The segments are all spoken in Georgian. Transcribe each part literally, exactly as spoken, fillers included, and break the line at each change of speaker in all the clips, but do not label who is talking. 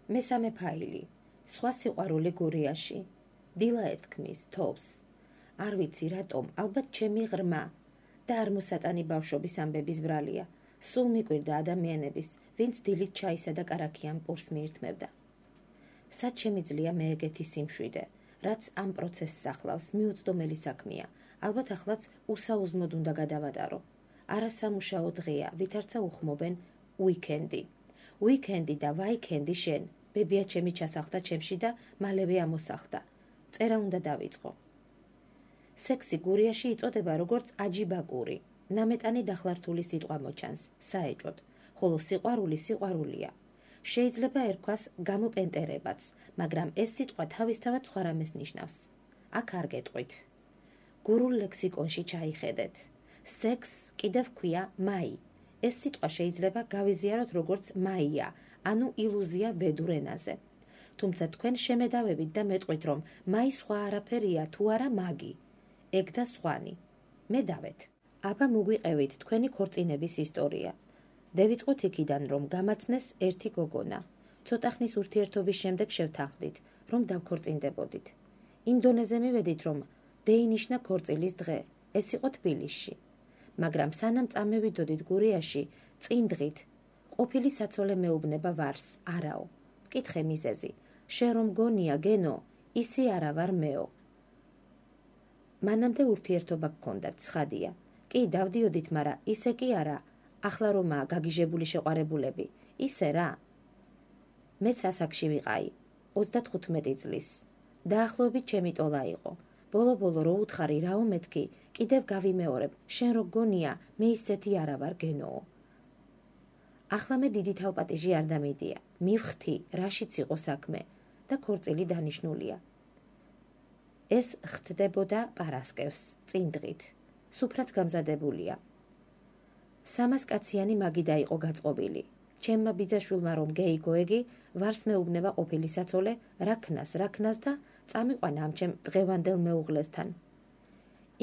მესამე ფაილი. სხვა სიყვარული გურიაში. დილა ეთქმის თოვს. არ ვიცი რატომ, ალბათ ჩემი ღრმა და არ მოსატანი ბავშვობის ამბების ბრალია. სულ მიკვირდა ადამიანების, ვინც დილით ჩაისა და კარაქიან პურს მიირთმევდა. სად შემიძლია მე ეგეთი სიმშვიდე, რაც ამ პროცესს ახლავს, მიუწვდომელი საქმეა. ალბათ ახლაც უსაუზმოდ უნდა გადავატარო. არასამუშაო დღეა, ვითარცა უხმობენ უიკენდი. უიკენდი და ვაიკენდი შენ, ბებია ჩემი ჩასახდა ჩემში და მალევე ამოსახდა. წერა უნდა დავიწყო. სექსი გურიაში იწოდება როგორც აჯიბაკური. ნამეტანი დახლართული სიტყვა მოჩანს, საეჭოდ, ხოლო სიყვარული სიყვარულია. შეიძლება ერქვას გამოპენტერებაც, მაგრამ ეს სიტყვა თავისთავად სხვა რამეს ნიშნავს. აქ არ გეტყვით. გურულ ლექსიკონში ჩაიხედეთ. სექს კიდევ ქვია მაი. ეს სიტყვა შეიძლება გავიზიაროთ როგორც მაია, ანუ ილუზია ვედურ ენაზე. თუმცა თქვენ შემედავებით და მეტყვით, რომ მაი სხვა არაფერია თუ არა მაგი. ეგ და სხვანი. მე დავეთ. აბა მოგვიყევით თქვენი ქორწინების ისტორია. დავიწყოთ იქიდან, რომ გამაცნეს ერთი გოგონა. ცოტა ხნის ურთიერთობის შემდეგ შევთანხმდით, რომ დავქორწინდებოდით. იმ დონეზე მივედით, რომ დეინიშნა ქორწილის დღე. ეს იყო თბილისში. მაგრამ სანამ წამევიდოდით გურიაში, წინ დღით, ყოფილი საცოლე მეუბნება ვარს, არაო. მკითხე მიზეზი. შენ რომ გონია გენო, ისი არა ვარ მეო. მანამდე ურთიერთობა გქონდათ, ცხადია. კი, დავდიოდით, მაგრამ ისე კი არა, ახლა რომაა გაგიჟებული შეყვარებულები, ისე რა. მეც ასაკში ვიყაი, ოცდათხუთმეტი წლის. დაახლოებით ჩემი ტოლა იყო. ბოლო-ბოლო რო უთხარი რაო მეთქი, კიდევ გავიმეორებ, შენ რო გონია, მე ისეთი არა ვარ გენოო. ახლა მე დიდი თავპატიჟი არ დამიდია, მივხვდი, რაშიც იყო საქმე და ქორწილი დანიშნულია. ეს ხდებოდა პარასკევს, წინ დღით. სუფრაც გამზადებულია. სამას კაციანი მაგიდა იყო გაწყობილი. ჩემმა ბიძაშვილმა რომ გეიგოეგი, ვარს მეუბნება ყოფილი საცოლე, რა ქნას, რა ქნას და წამიყვანა ამ ჩემ დღევანდელ მეუღლესთან.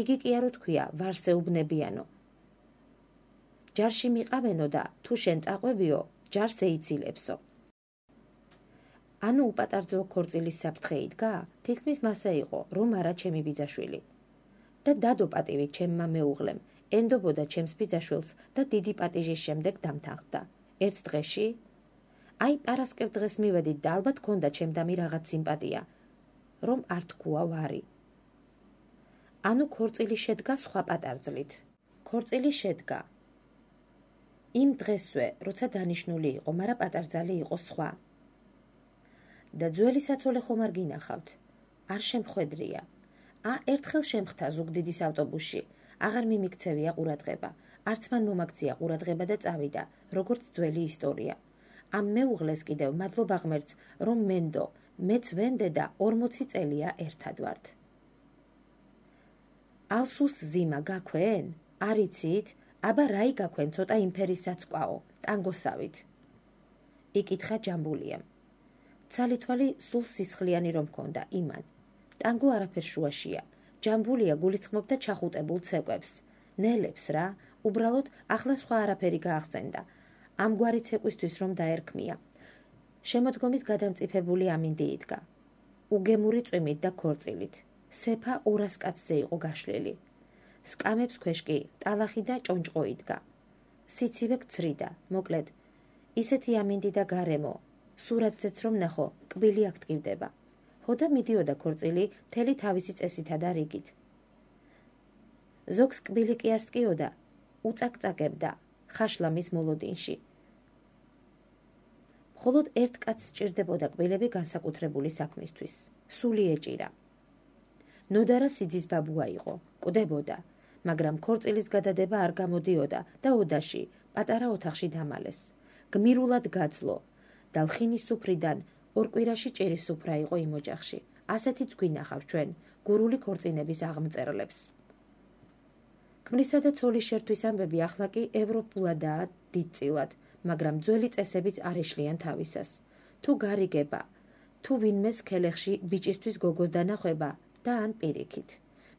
იგი კი არ უთქვია, ვარს ეუბნებიანო. ჯარში მიყავენო და თუ შენ წაყვებიო, ჯარს ეიცილებსო. ანუ უპატარძო ქორწილის საფრთხე იდგა? თითქმის მასე იყო, რომ არა ჩემი ბიძაშვილი. და დადო პატივი ჩემმა მეუღლემ, ენდობოდა ჩემს ბიძაშვილს და დიდი პატიჟის შემდეგ დამთანხმდა. ერთ დღეში? აი პარასკევ დღეს მივედით და ალბათ ქონდა ჩემდამი რაღაც სიმპათია, რომ არ თქვა ვარი. ანუ ქორწილი შედგა სხვა პატარძლით. ქორწილი შედგა. იმ დღესვე, როცა დანიშნული იყო, მაგრამ პატარძალი იყო სხვა. და ძველი საცოლე ხომ არ გინახავთ? არ შემხვედრია. ა ერთხელ შემხთა ზუგდიდის ავტობუსში. აღარ მიმიქცევია ყურადღება. არც მან მომაქცია ყურადღება და წავიდა, როგორც ძველი ისტორია. ამ მეუღლეს კიდევ მადლობა ღმერთს, რომ მენდო, მეც ვენდე და ორმოცი წელია ერთად ვართ. ალსუს ზიმა გაქვენ? არ იცით? აბა რაი გაქვენ ცოტა იმფერისაცკვაო, ტანგოსავით. იკითხა ჯამბულიამ. ცალითვალი სულ სისხლიანი რომ ქონდა იმან. ტანგო არაფერ შუაშია. ჯამბულია გულისხმობდა ჩახუტებულ ცეკვებს. ნელებს რა, უბრალოდ ახლა სხვა არაფერი გაახსენდა. ამგვარი ცეკვისთვის რომ დაერქმია. შემოდგომის გადამწიფებული ამინდი იდგა. უგემური წვიმით და ქორწილით. სეფა ორას კაცზე იყო გაშლილი. სკამებს ქვეშ კი ტალახი და ჭონჭყო იდგა. სიცივე გცრიდა, მოკლედ, ისეთი ამინდი და გარემო, სურათზეც რომ ნახო, კბილი აქ ტკივდება. ჰოდა მიდიოდა ქორწილი მთელი თავისი წესითა და რიგით. ზოგს კბილი კი ასტკიოდა, უწაკწაკებდა ხაშლამის მოლოდინში. მხოლოდ ერთ კაცს სჭირდებოდა კბილები განსაკუთრებული საქმისთვის. სული ეჭირა. ნოდარა სიძის ბაბუა იყო, კვდებოდა, მაგრამ ქორწილის გადადება არ გამოდიოდა და ოდაში, პატარა ოთახში დამალეს. გმირულად გაძლო, და ლხინის სუფრიდან ორ კვირაში ჭირის სუფრა იყო იმ ოჯახში. ასეთიც გვინახავ ჩვენ, გურული ქორწინების აღმწერლებს. ქმრისა და ცოლის შერთვის ამბები ახლა კი ევროპულადაა დიდწილად, მაგრამ ძველი წესებიც არ ეშლიან თავისას. თუ გარიგება, თუ ვინმეს ქელეხში ბიჭისთვის გოგოს დანახვება და ან პირიქით.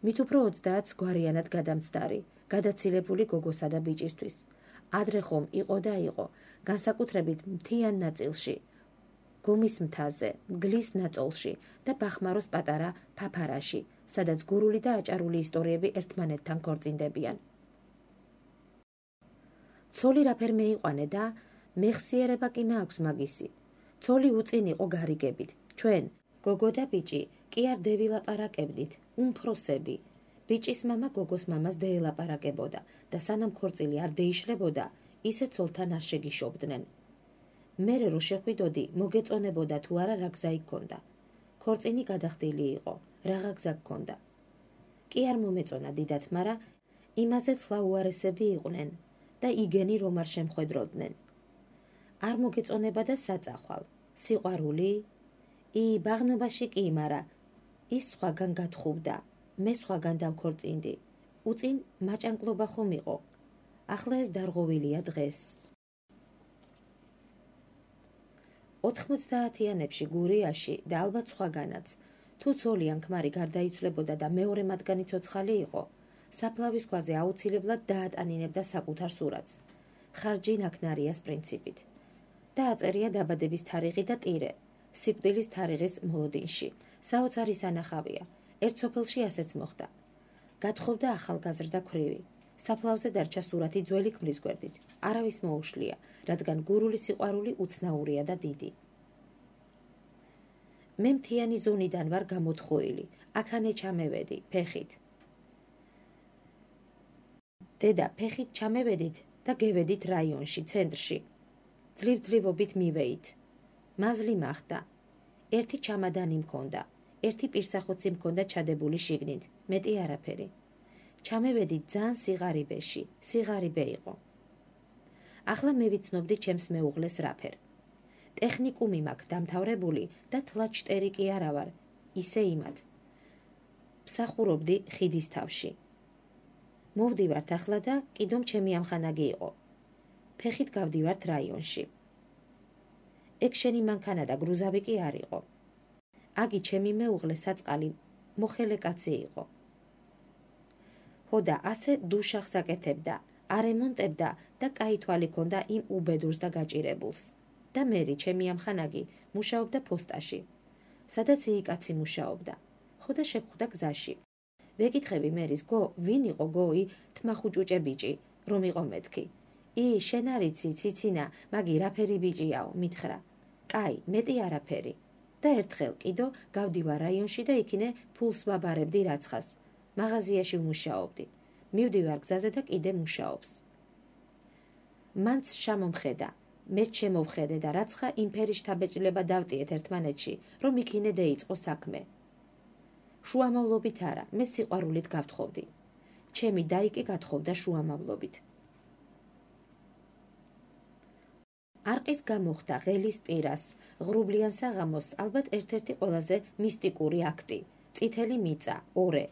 მით უფრო ოცდაათს გვარიანად გადამცდარი, გადაცილებული გოგოსა და ბიჭისთვის. ადრე ხომ იყო და იყო, განსაკუთრებით მთიან ნაწილში. გომის მთაზე, მგლის ნაწოლში და ბახმაროს პატარა ფაფარაში, სადაც გურული და აჭარული ისტორიები ერთმანეთთან ქორწინდებიან. ცოლი რაფერ მეიყვანე და მეხსიერება კი მაქვს მაგისი. ცოლი უწინ იყო გარიგებით. ჩვენ, გოგო და ბიჭი, კი არ დევილაპარაკებდით, უმფროსები. ბიჭის მამა გოგოს მამას დაელაპარაკებოდა და სანამ ქორწილი არ დაიშლებოდა, ისე ცოლთან არ შეგიშობდნენ. მერე რო შეხვიდოდი, მოგეწონებოდა თუ არა რა გზა იქონდა. ქორწინი გადახდილი იყო, რაღა გზა გქონდა. კი არ მომეწონა დიდად, მაგრამ იმაზე თლაუარესები იყვნენ და იგენი რომ არ შემხვედროდნენ. არ მოგეწონება და საწახვალ, სიყვარული? ი, ბაღნობაში კი, მაგრამ ის სხვაგან გათხოვდა, მე სხვაგან დავქორწინდი. უწინ მაჭანკლობა ხომ იყო. ახლა ეს დარღვევილია დღეს. ოთხმოცდაათიანებში გურიაში და ალბათ სხვაგანაც, თუ ცოლი ან ქმარი გარდაიცვლებოდა და მეორე მათგანი ცოცხალი იყო, საფლავის ქვაზე აუცილებლად დაატანინებდა საკუთარ სურათს, ხარჯი ნაქნარიას პრინციპით. დააწერია დაბადების თარიღი და ტირე, სიკვდილის თარიღის მოლოდინში, საოცარი სანახავია, ერთ სოფელში ასეც მოხდა. გათხოვდა ახალგაზრდა ქვრივი, საფლავზე დარჩა სურათი ძველი ქმრის გვერდით, არავის მოუშლია, რადგან გურული სიყვარული უცნაურია და დიდი. მე მთიანი ზონიდან ვარ გამოთხოვილი, აქანე ჩამევედი, ფეხით. დედა, ფეხით ჩამევედით და გევედით რაიონში, ცენტრში. ძლივ-ძლივობით მივეით. მაზლი მახდა. ერთი ჩამადანი მქონდა, ერთი პირსახოცი მქონდა ჩადებული შიგნით, მეტი არაფერი. ჩამევედით ძალიან სიღარიბეში, სიღარიბე იყო. ახლა მე ვიცნობდი ჩემს მეუღლეს რაფერ. ტექნიკუმი მაქვს დამთავრებული და თლაჩტერი კი არა ვარ, ისე იმად. მსახურობდი ხიდის თავში. მოვდივართ ახლა და კიდომ ჩემი ამხანაგი იყო. ფეხით გავდივართ რაიონში. ეგ შენი მანქანა და გრუზავი კი არ იყო. აგი ჩემი მეუღლე საწყალი მოხელე კაცი იყო. ჰოდა ასე დუშახს აკეთებდა, არემონტებდა და კაი თვალი ქონდა იმ უბედურს და გაჭირებულს. და მერი ჩემი ამხანაგი მუშაობდა ფოსტაში, სადაც იგი კაცი მუშაობდა. ხოდა შეგხვდა გზაში. ვეკითხები მერის, გო, ვინ იყო გოი, თმახუჭუჭე ბიჭი, რომ იყო მეთქი. ი, შენ არიცი, ციცინა, მაგი რაფერი ბიჭიაო, მითხრა. კაი, მეტი არაფერი. და ერთხელ კიდო გავდივარ რაიონში და იქინე ფულს ვაბარებდი რაცხას. მაღაზიაში ვმუშაობდი. მივდივარ გზაზე და კიდე მუშაობს. მანც შემომხედა, მეც შემოვხედე და რაცხა იმფერი შთაბეჭდილება დავტიეთ ერთმანეთში, რომ იქინე დაიწყო საქმე. შუამავლობით არა, მე სიყვარულით გავთხოვდი. ჩემი დაიკი გათხოვდა შუამავლობით. არყის გამოხდა ღელის პირას, ღრუბლიან საღამოს ალბათ ერთ-ერთი ყველაზე მისტიკური აქტი, წითელი მიწა, ორე.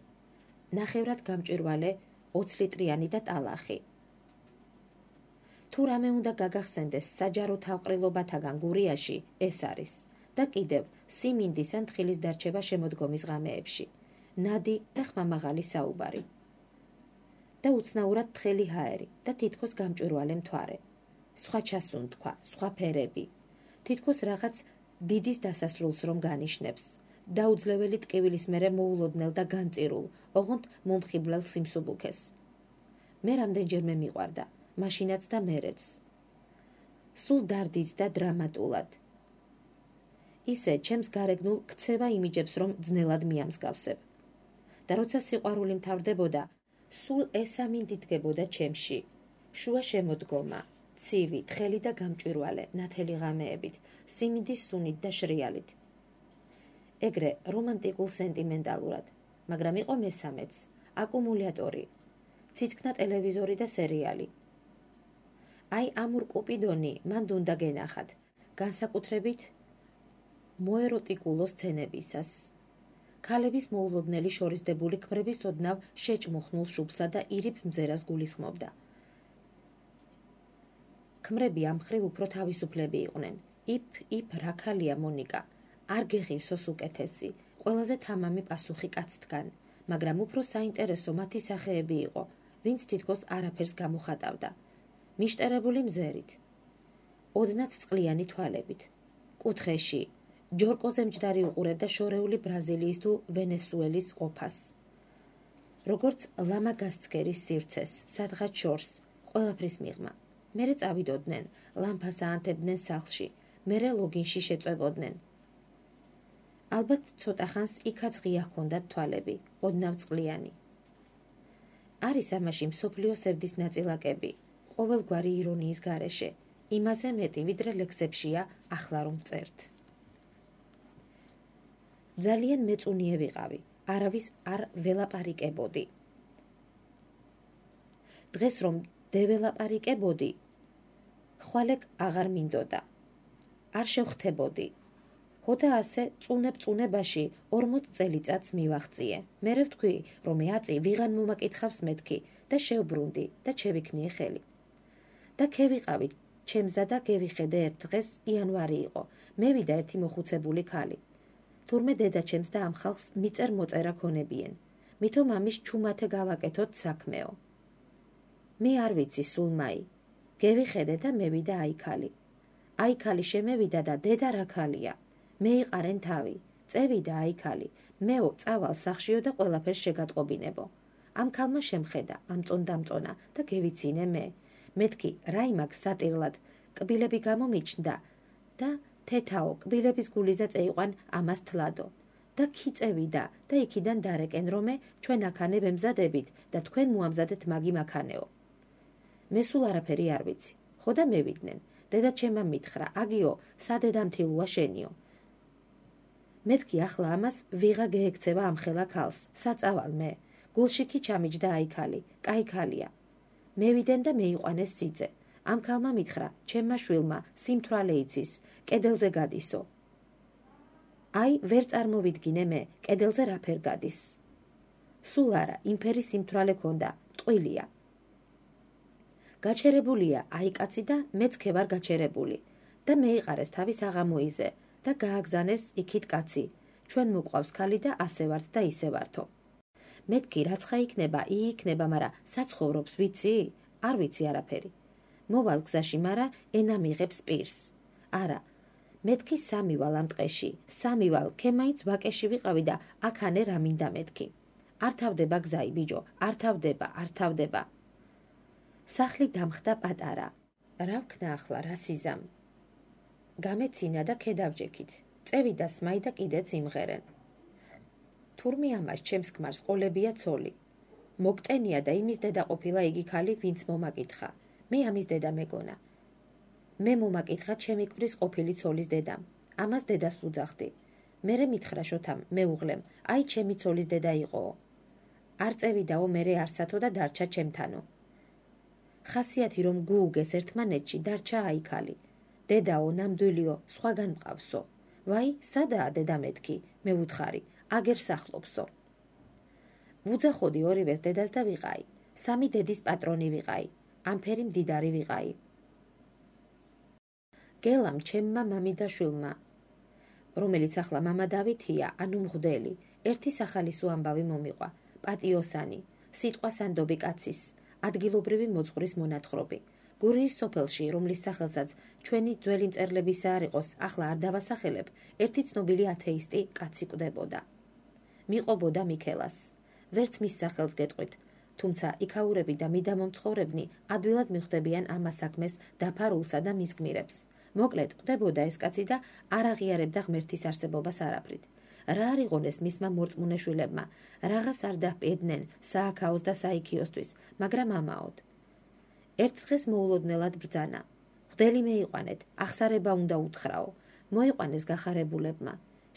ნახევრად გამჭვირვალე ოცლიტრიანი და ტალახი. თუ რამე უნდა გაგახსენდეს საჯარო თავყრილობათაგან გურიაში, ეს არის. და კიდევ სიმინდის ან თხილის დარჩება შემოდგომის ღამეებში, ნადი და ხმამაღალი საუბარი. და უცნაურად თხელი ჰაერი და თითქოს გამჭვირვალე მთვარე. სხვა ჩასუნთქვა, სხვა ფერები. თითქოს რაღაც დიდის დასასრულს რომ განიშნებს. დაუძლეველი ტკივილის მერე მოულოდნელ და განწირულ, ოღონდ მომხიბლელ სიმსუბუქეს. მე რამდენჯერმე მიყვარდა, მაშინაც და მერეც. სულ დარდით და დრამატულად. ისე ჩემს გარეგნულ ქცევა იმიჯებს, რომ ძნელად მიამსგავსებ. და როცა სიყვარული მთავრდებოდა, სულ ესამინდი დგებოდა ჩემში. შუა შემოდგომა, ცივი, თხელი და გამჭვირვალე, ნათელი ღამეებით, სიმინდის სუნით და შრიალით. ეგრე რომანტიკულ სენტიმენტალურად, მაგრამ იყო მესამეც, აკუმულატორი, ციცქნა ტელევიზორი და სერიალი. აი ამურ კუპიდონი მან უნდა გენახათ, განსაკუთრებით მოეროტიკულო სცენებისას. ქალების მოულოდნელი შორისდებული ქმრების ოდნავ შეჭმუხნულ შუბლსა და ირიფ მზერას გულისხმობდა. ქმრები ამ მხრივ უფრო თავისუფლები იყვნენ. იფ, იფ, რა ქალია მონიკა. არ გეღირსოს უკეთესი, ყველაზე თამამი პასუხი კაცთგან, მაგრამ უფრო საინტერესო მათი სახეები იყო, ვინც თითქოს არაფერს გამოხატავდა. მიშტერებული მზერით, ოდნაც წყლიანი თვალებით, კუთხეში ჯორკოზე მჯდარი უყურებდა შორეული ბრაზილიის თუ ვენესუელის ყოფას. როგორც ლამა გასცქერის სივრცეს, სადღაც შორს, ყველაფრის მიღმა. მერე წავიდოდნენ, ლამპას აანთებდნენ სახლში, მერე ლოგინში შეწვებოდნენ. ალბათ ცოტა ხანს იქაც ღია ჰქონდათ თვალები, ოდნავ წყლიანი. არის ამაში მსოფლიო სევდის ნაწილაკები, ყოველგვარი ირონიის გარეშე, იმაზე მეტი, ვიდრე ლექსებშია ახლა რომ წერთ. ძალიან მეწუნიე ვიყავი, არავის არ ველაპარიკებოდი. დღეს რომ დეველაპარიკებოდი, ხვალეკ აღარ მინდოდა. არ შევხვდებოდი. ხოდა ასე წუნებ-წუნებაში ორმოც წელიწადს მივაღწიე. მერე ვთქვი, რომ აწი ვიღან მომაკითხავს მეთქი და შევბრუნდი და შევიქნიე ხელი. და ქევიყავი, ჩემზა და გევიხედე ერთ დღეს იანვარი იყო. მევიდა ერთი მოხუცებული ქალი. თურმე დედა ჩემს და ამ ხალხს მიწერ მოწერა ქონებიან. მითო მამის ჩუმათე გავაკეთოთ საქმეო. მე არ ვიცი სულ მაი. გევიხედე და მევიდა აი ქალი. აი ქალი შემევიდა და დედა რა ქალია. მეიყარენ თავი, წევიდა აი ქალი, მეო წავალ სახშიო და ყველაფერს შეგატყობინებო. ამ ქალმა შემხედა, ამწონ-დამწონა და გევიცინე მე. მეთქი რა იმაქვს სატირლად, კბილები გამომიჩნდა და თეთაო კბილების გულიზა წეიყვან ამას თლადო. და ქიწევიდა და იქიდან დარეკენ რომე ჩვენ აქანე ვემზადებით და თქვენ მოამზადეთ მაგი მაქანეო. მე სულ არაფერი არ ვიცი, ხოდა მევიდნენ, დედა ჩემმა მითხრა, აგიო, სადედამთილოა შენიო. მეთქი ახლა ამას ვიღა გეექცევა ამ ხელა ქალს, საწავალ მე, გულში კი ჩამიჯდა აი ქალი, კაი ქალია. მევიდენ და მეიყვანეს სიძე, ამ ქალმა მითხრა, ჩემმა შვილმა, სიმთვრალე იცის, კედელზე გადისო. აი, ვერ წარმოვიდგინე მე, კედელზე რა ფერ გადის. სულ არა, იმფერი სიმთვრალე ქონდა, ტყუილია. გაჩერებულია, აი კაცი და მეც ქე ვარ გაჩერებული და მეიყარეს თავის აღამოიზე და გააგზანეს იქით კაცი, ჩვენ მოყვავს ქალი და ასე ვართ და ისე ვართო. მეთქი რაცხა იქნება, იიქნება, მარა საცხოვრობს ვიცი? არ ვიცი არაფერი. მოვალ გზაში, მარა ენა მიღებს პირს. არა, მეთქი სამივალ ამ ტყეში, სამივალ, ქე მაინც ვაკეში ვიყავი და აქანე რა მინდა მეთქი. არ თავდება გზაი, ბიჯო, არ თავდება, არ თავდება. სახლი დამხდა პატარა. რა ვქნა ახლა, რა სიზამ? გამეცინა და ქედავჯექით. წევიდა სმაი და კიდეც იმღერენ. თურმე ამას ჩემს ქმარს ყოლებია ცოლი. მოგტენია და იმის დედა ყოფილა იგი ქალი, ვინც მომაკითხა. მე ამის დედა მეგონა. მე მომაკითხა ჩემი კვრის ყოფილი ცოლის დედამ. ამას დედას ვუძახდი. მერე მითხრა შოთამ, მეუღლემ, აი ჩემი ცოლის დედა იყოო. არ წევიდაო მერე არსათო და დარჩა ჩემთანო. ხასიათი რომ გუუგეს ერთმანეთში დარჩა აი ქალი. დედაო ნამდვილიო, სხვაგან მყავსო. ვაი, სადაა დედა მეთქი, მე ვუთხარი, აგერ სახლობსო. ვუძახოდი ორივეს დედას და ვიყაი, სამი დედის პატრონი ვიყაი, ამფერი მდიდარი ვიყაი. გელამ ჩემმა მამი და შვილმა, რომელიც ახლა მამა დავითია, ანუ მღვდელი, ერთი სახალისო ამბავი მომიყვა, პატიოსანი, სიტყვა სანდობი კაცის, ადგილობრივი მოძღვრის მონათხრობი. გურიის სოფელში, რომლის სახელსაც ჩვენი ძველი მწერლებისა არ იყოს, ახლა არ დავასახელებ, ერთი ცნობილი ათეისტი კაცი კვდებოდა. მიყობოდა მიქელას. ვერც მის სახელს გეტყვით, თუმცა იქაურები და მიდამომცხოვრებნი ადვილად მიხვდებიან ამას საქმეს დაფარულსა და მის გმირებს. მოკლედ, კვდებოდა ეს კაცი და არ აღიარებდა ღმერთის არსებობას არაფრით. რა არ იყონეს მისმა მორწმუნე შვილებმა, რაღაც არ დაჰპირდნენ სააქაოს და საიქიოსთვის, მაგრამ ამაოდ. ერთ დღეს მოულოდნელად ბრძანა. მღვდელი მეიყვანეთ, ახსარება უნდა უთხრაო. მოიყვანეს გახარებულებმა.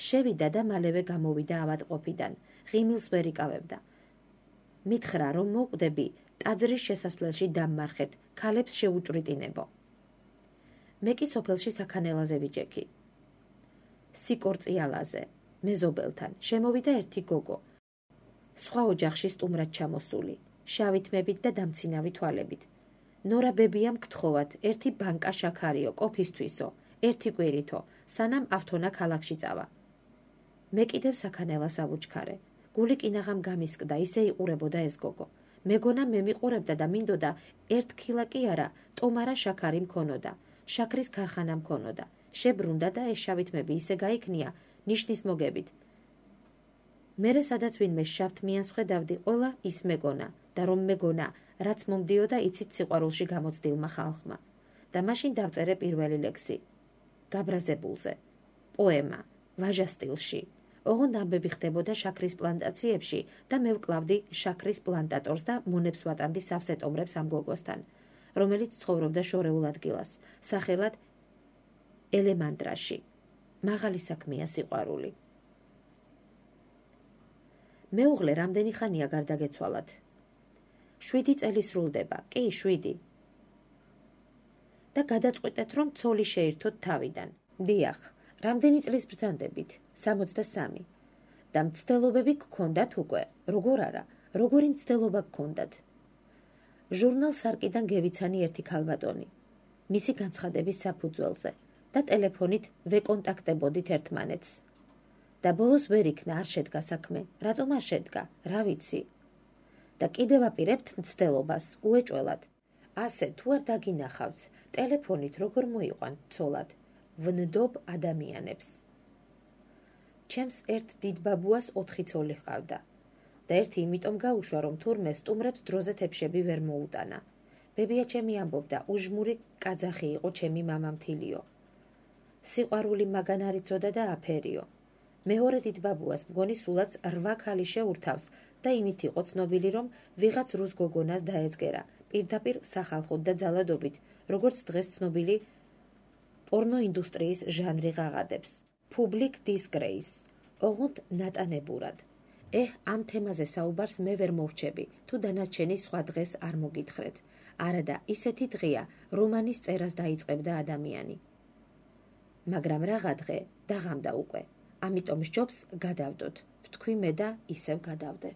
შევიდა და მალევე გამოვიდა ავადმყოფიდან, ღიმილს ვერ იკავებდა. მითხრა, რომ მოკვდები, ტაძრის შესასვლელში დამმარხეთ, ქალებს შეუჭვრიტინებო. მე კი სოფელში საქანელაზე ვიჯექი. სიკორწიალაზე, მეზობელთან, შემოვიდა ერთი გოგო. სხვა ოჯახში სტუმრად ჩამოსული, შავი თმებით და დამცინავი თვალებით. ნორა ბებიამ გთხოვათ, ერთი ბანკა შაქარიო, ყოფისთვისო, ერთი კვირითო, სანამ ავთონა ქალაქში წავა. მე კიდევ საქანელას ავუჩქარე. გული კინაღამ გამისკდა, ისე იყურებოდა ეს გოგო. მეგონა მე მიყურებდა და მინდოდა ერთ ქილა კი არა, ტომარა შაქარი მქონოდა. შაქრის ქარხანა მქონოდა. შებრუნდა და ეს შავითმები ისე გაიქნია ნიშნის მოგებით. მერე სადაც ვინმე შავთმიანს ხედავდი, ყველა ის მეგონა და რომ მეგონა, რაც მომდიოდა იცით სიყვარულში გამოცდილმა ხალხმა. და მაშინ დავწერე პირველი ლექსი. გაბრაზებულზე. პოემა, ვაჟა სტილში. ოღონდ ამბები ხდებოდა შაქრის პლანტაციებში და მე ვკლავდი შაქრის პლანტატორს და მონებს ვატანდი სავსე ტომრებს ამ გოგოსთან, რომელიც ცხოვრობდა შორეულ ადგილას, სახელად ელემანდრაში. მაღალი საქმეა სიყვარული. მეუღლე რამდენი ხანია გარდაგეცვალათ? შვიდი წელი სრულდება, კი, შვიდი. და გადაწყვიტეთ, რომ ცოლი შეირთოთ თავიდან. დიახ, რამდენი წლის ბრძანდებით? სამოცდასამი. და მცდელობები გქონდათ უკვე, როგორ არა, როგორი მცდელობა გქონდათ? ჟურნალ სარკიდან გევიცანი ერთი ქალბატონი. მისი განცხადების საფუძველზე და ტელეფონით ვეკონტაქტებოდით ერთმანეთს. და ბოლოს ვერ იქნა, არ შედგა საქმე. რატომ არ შედგა? რა ვიცი. და კიდევ აპირებთ მცდელობას, უეჭველად. ასე თუ არ დაგინახავთ, ტელეფონით როგორ მოიყვანთ ცოლად? ვნდობ ადამიანებს. ჩემს ერთ დიდ ბაბუას ოთხი ცოლი ჰყავდა. და ერთი იმიტომ გაუშვა, რომ თურმე სტუმრებს დროზე თეფშები ვერ მოუტანა. ბებია ჩემი ამბობდა, უჟმური კაძახი იყო ჩემი მამა მთილიო. სიყვარული მაგან არ იცოდა და აფერიო. მეორე დიდ ბაბუას მგონი სულაც რვა ქალი შეურთავს და იმით იყო ცნობილი, რომ ვიღაც რუს გოგონას დაეწგერა, პირდაპირ სახალხოდ და ძალადობით, როგორც დღეს ცნობილი პორნოინდუსტრიის ჟანრი ღაღადებს. Public disgrace. ოღონდ ნატანებურად. ეჰ, ამ თემაზე საუბარს მე ვერ მოვრჩები, თუ დანარჩენი სხვა დღეს არ მოგითხრეთ. არა და ისეთი დღეა, რომანის წერას დაიწყებდა ადამიანი. მაგრამ რაღა დღე დაღამდა უკვე. ამიტომ სჯობს გადავდოთ. ვთქვი მე და ისევ გადავდე.